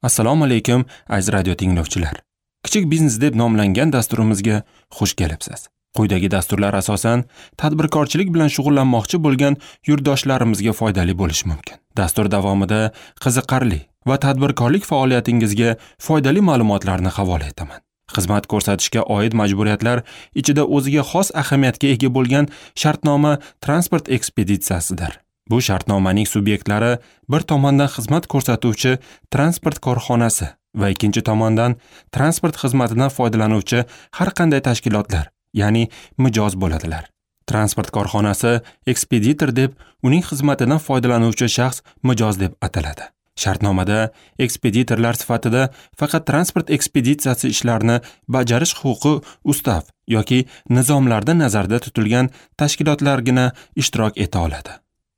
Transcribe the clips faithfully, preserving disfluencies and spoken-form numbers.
Assalomu alaykum, aziz radio tinglovchilar. Kichik biznes deb nomlangan dasturimizga xush kelibsiz. Quyidagi dasturlar asosan tadbirkorchilik bilan shug'ullanmoqchi bo'lgan yurtdoshlarimizga foydali bo'lishi mumkin. Dastur davomida qiziqarli va tadbirkorlik faoliyatingizga foydali ma'lumotlarni havola etaman. Xizmat ko'rsatishga oid majburiyatlar ichida o'ziga xos ahamiyatga ega bo'lgan shartnoma transport ekspeditsiyasidir. Bu shartnomaning subyektlari bir tomondan xizmat ko'rsatuvchi transport korxonasi va ikkinchi tomondan transport xizmatidan foydalanuvchi har qanday tashkilotlar, ya'ni mijoz bo'ladilar. Transport korxonasi ekspeditor deb, uning xizmatidan foydalanuvchi shaxs mijoz deb ataladi. Shartnomada ekspeditorlar sifatida faqat transport ekspeditsiyasi ishlarini bajarish huquqi ustav yoki nizomlarda nazarda tutilgan tashkilotlargina ishtirok eta oladi.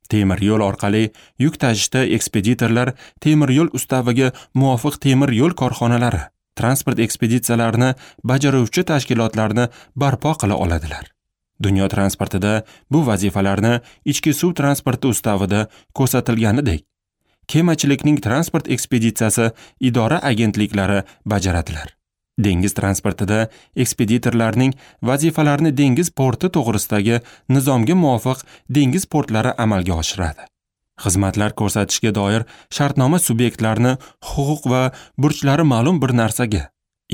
Temir yo'l orqali yuk tashishda ekspeditorlar temir yo'l ustaviga muvofiq temir yo'l korxonalari transport ekspeditsiyalarini bajaruvchi tashkilotlarni barpo qila oladilar. Dunyo transportida bu vazifalarni ichki suv transporti ustavida ko'rsatilganidek, kemachilikning transport ekspeditsiyasi idora agentliklari bajaradilar. Dengiz transportida ekspeditorlarning vazifalarini dengiz porti to'g'risidagi nizomga muvofiq dengiz portlari amalga oshiradi. Xizmatlar ko'rsatishga doir shartnoma subyektlarini huquq va burchlari ma'lum bir narsaga,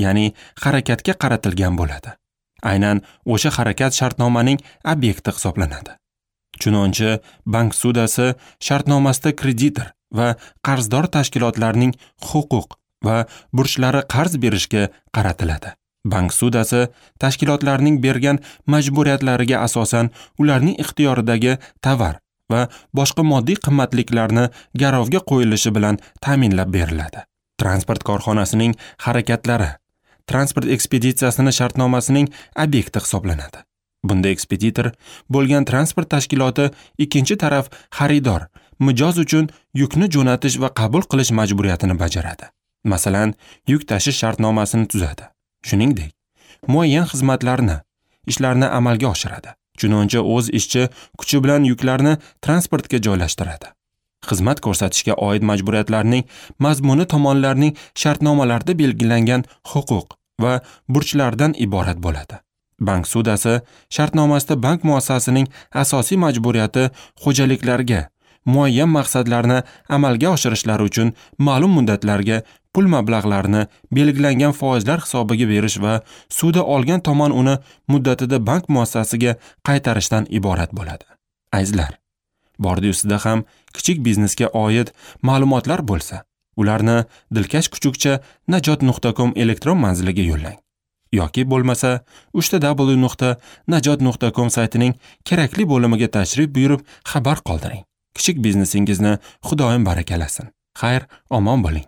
ya'ni harakatga qaratilgan bo'ladi. Aynan o'sha harakat shartnomaning obyekti hisoblanadi. Chunonchi, bank sudasi shartnomasida kreditor va qarzdor tashkilotlarning huquq va burchlari qarz berishga qaratiladi. Bank sudasi tashkilotlarning bergan majburiyatlariga asosan ularning ixtiyoridagi tovar va boshqa moddiy qimmatliklarni garovga qo'yilishi bilan ta'minlab beriladi. Transport korxonasining harakatlari transport ekspeditsiyasini shartnomasining obyekti hisoblanadi. Bunda ekspeditor bo'lgan transport tashkiloti ikkinchi taraf xaridor, mijoz uchun yukni jo'natish va qabul qilish majburiyatini bajaradi. Masalan, yuk tashish shartnomasini tuzadi. Shuningdek, muayyan xizmatlarni, ishlarni amalga oshiradi. Chunonchi o'z ishchi kuchi bilan yuklarni transportga joylashtiradi. Xizmat ko'rsatishga oid majburiyatlarning mazmuni tomonlarning shartnomalarda belgilangan huquq va burchlardan iborat bo'ladi. Bank sudasi shartnomasida bank muassasasining asosiy majburiyati xo'jaliklarga muayyan maqsadlarni amalga oshirishlari uchun ma'lum muddatlarga pul mablag'larini belgilangan foizlar hisobiga berish va suda olgan tomon uni muddatida bank muassasasiga qaytarishdan iborat bo'ladi. Azizlar, bordi ustida ham kichik biznesga oid ma'lumotlar bo'lsa, ularni dilkash kuchukcha najot nuqta com elektron manziliga yo'llang. Yoki bo'lmasa uchta w nuqta najot nuqta com saytining kerakli bo'limiga tashrif buyurib xabar qoldiring. Kichik biznesingizni Xudoyim barakalasin. Xayr, omon bo'ling.